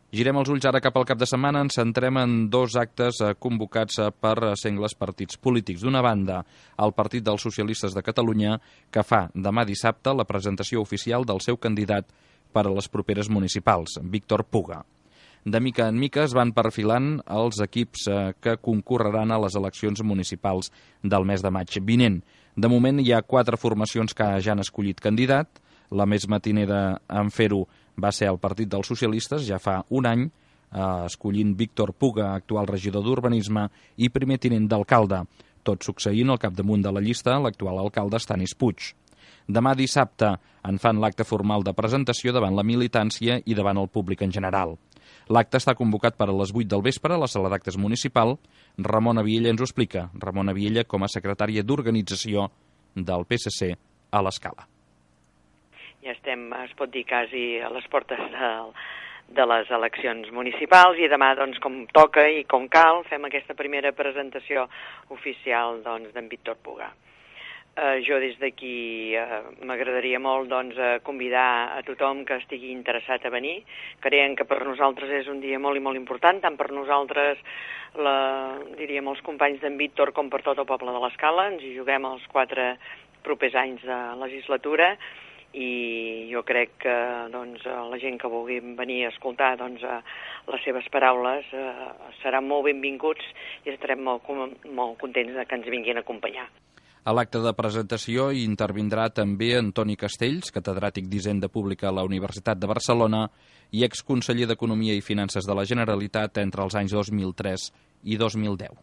Girem els ulls ara cap al cap de setmana. Ens centrem en dos actes convocats per sengles partits polítics. D'una banda, el Partit dels Socialistes de Catalunya, que fa demà dissabte la presentació oficial del seu candidat per a les properes municipals, Víctor Puga. De mica en mica es van perfilant els equips que concorreran a les eleccions municipals del mes de maig vinent. De moment hi ha 4 formacions que ja han escollit candidat. La més matinera en fer-ho va ser el Partit dels Socialistes, ja fa un any, escollint Víctor Puga, actual regidor d'Urbanisme i primer tinent d'alcalde, tot succeint al capdamunt de la llista l'actual alcalde Stanis Puig. Demà dissabte en fan l'acte formal de presentació davant la militància i davant el públic en general. L'acte està convocat per a les 8 del vespre a la sala d'actes municipal. Ramona Viella ens ho explica. Ramona Viella com a secretària d'organització del PSC a l'Escala. Ja estem, es pot dir, quasi a les portes de les eleccions municipals i demà, doncs, com toca i com cal, fem aquesta primera presentació oficial d'en Víctor Puga. Jo des d'aquí m'agradaria molt convidar a tothom que estigui interessat a venir. Creiem que per nosaltres és un dia molt i molt important, tant per nosaltres, diríem, els companys d'en Víctor, com per tot el poble de l'Escala. Ens hi juguem els 4 propers anys de legislatura i jo crec que la gent que vulgui venir a escoltar les seves paraules seran molt benvinguts i estarem molt contents que ens vinguin a acompanyar. A l'acte de presentació hi intervindrà també Antoni Castells, catedràtic d'Hisenda Pública a la Universitat de Barcelona i exconseller d'Economia i Finances de la Generalitat entre els anys 2003 i 2010.